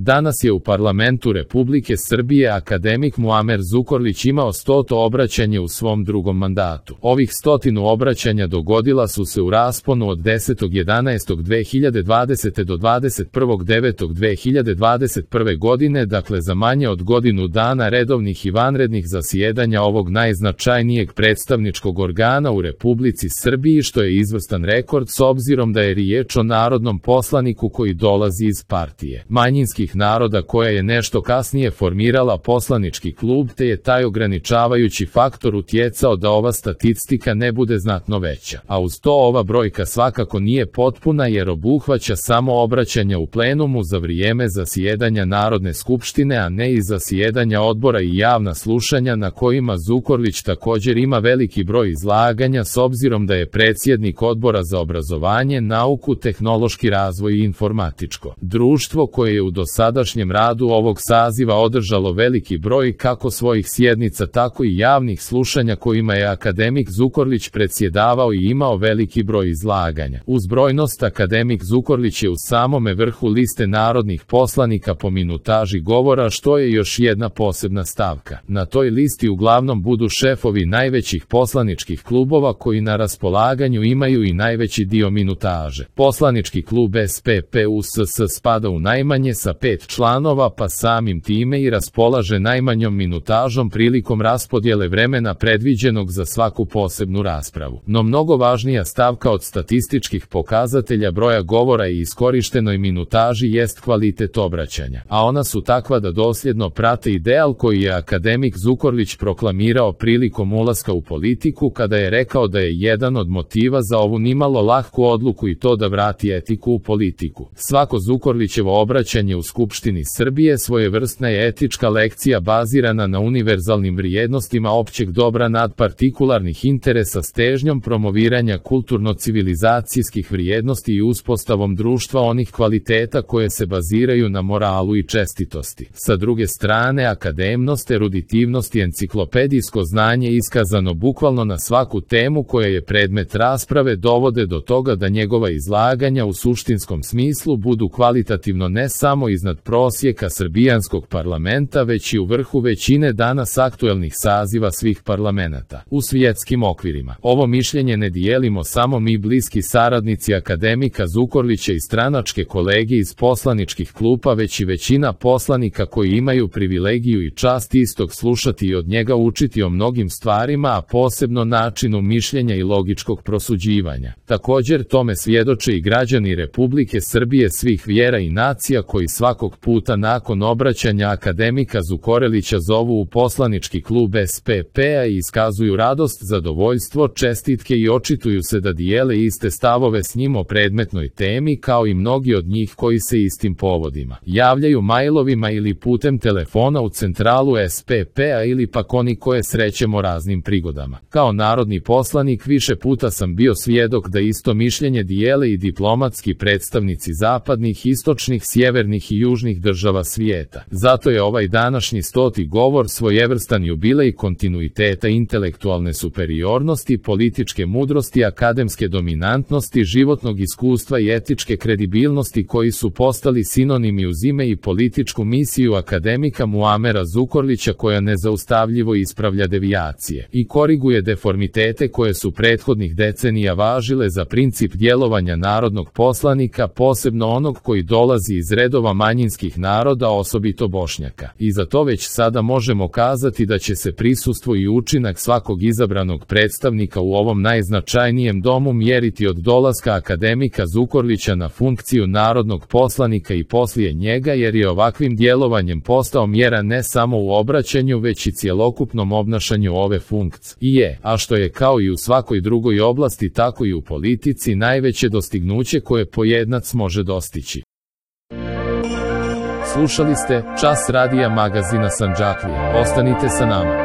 Danas je u parlamentu Republike Srbije akademik Muamer Zukorlić imao 100. obraćanje u svom drugom mandatu. Ovih 100 obraćanja dogodila su se u rasponu od 10.11.2020. do 21.9.2021. godine, dakle za manje od godinu dana redovnih i vanrednih zasjedanja ovog najznačajnijeg predstavničkog organa u Republici Srbiji, što je izvrstan rekord s obzirom da je riječ o narodnom poslaniku koji dolazi iz partije manjinskih naroda koja je nešto kasnije formirala poslanički klub, te je taj ograničavajući faktor utjecao da ova statistika ne bude znatno veća. A uz to ova brojka svakako nije potpuna jer obuhvaća samo obraćanja u plenumu za vrijeme zasjedanja Narodne skupštine, a ne i zasjedanja odbora i javna slušanja na kojima Zukorlić također ima veliki broj izlaganja s obzirom da je predsjednik Odbora za obrazovanje, nauku, tehnološki razvoj i informatičko društvo koje je u dosadašnjem radu ovog saziva održalo veliki broj kako svojih sjednica tako i javnih slušanja kojima je akademik Zukorlić predsjedavao i imao veliki broj izlaganja. Uz brojnost akademik Zukorlić je u samome vrhu liste narodnih poslanika po minutaži govora, što je još jedna posebna stavka. Na toj listi uglavnom budu šefovi najvećih poslaničkih klubova koji na raspolaganju imaju i najveći dio minutaže. Poslanički klub SPP-USS spada u najmanje sa 5 članova, pa samim time i raspolaže najmanjom minutažom prilikom raspodjele vremena predviđenog za svaku posebnu raspravu. No mnogo važnija stavka od statističkih pokazatelja broja govora i iskorištenoj minutaži jest kvalitet obraćanja, a ona su takva da dosljedno prate ideal koji je akademik Zukorlić proklamirao prilikom ulaska u politiku kada je rekao da je jedan od motiva za ovu nimalo lahku odluku i to da vrati etiku u politiku. Svako Zukorlićevo obraćanje u Skupštini Srbije svojevrsna je etička lekcija bazirana na univerzalnim vrijednostima općeg dobra nad partikularnih interesa s težnjom promoviranja kulturno-civilizacijskih vrijednosti i uspostavom društva onih kvaliteta koje se baziraju na moralu i čestitosti. Sa druge strane, akademnost, eruditivnost i enciklopedijsko znanje iskazano bukvalno na svaku temu koja je predmet rasprave dovode do toga da njegova izlaganja u suštinskom smislu budu kvalitativno ne samo iznad prosjeka srbijanskog parlamenta, već i u vrhu većine danas aktuelnih saziva svih parlamenata u svjetskim okvirima. Ovo mišljenje ne dijelimo samo mi bliski saradnici akademika Zukorlića i stranačke kolege iz poslaničkih klupa, već i većina poslanika koji imaju privilegiju i čast istog slušati i od njega učiti o mnogim stvarima, a posebno načinu mišljenja i logičkog prosuđivanja. Također tome svjedoče i građani Republike Srbije svih vjera i nacija koji svakog puta nakon obraćanja akademika Zukorlića zovu u poslanički klub SPP-a i iskazuju radost, zadovoljstvo, čestitke i očituju se da dijele iste stavove s njim o predmetnoj temi, kao i mnogi od njih koji se istim povodima javljaju mailovima ili putem telefona u centralu SPP-a ili pak oni koje srećemo raznim prigodama. Kao narodni poslanik više puta sam bio svjedok da isto mišljenje dijele i diplomatski predstavnici zapadnih, istočnih, sjevernih i južnih država svijeta. Zato je ovaj današnji 100. govor svojevrstan jubilej kontinuiteta intelektualne superiornosti, političke mudrosti, akademske dominantnosti, životnog iskustva i etičke kredibilnosti koji su postali sinonimi uz ime i političku misiju akademika Muamera Zukorlića koja nezaustavljivo ispravlja devijacije i koriguje deformitete koje su prethodnih decenija važile za princip djelovanja narodnog poslanika, posebno onog koji dolazi iz redova manjinskih naroda, osobito Bošnjaka. I za to već sada možemo kazati da će se prisustvo i učinak svakog izabranog predstavnika u ovom najznačajnijem domu mjeriti od dolaska akademika Zukorlića na funkciju narodnog poslanika i poslije njega, jer je ovakvim djelovanjem postao mjera ne samo u obraćanju već i cjelokupnom obnašanju ove funkcije, a što je kao i u svakoj drugoj oblasti tako i u politici najveće dostignuće koje pojedinac može dostići. Slušali ste Čas radija magazina Sandžaklija. Ostanite sa nama.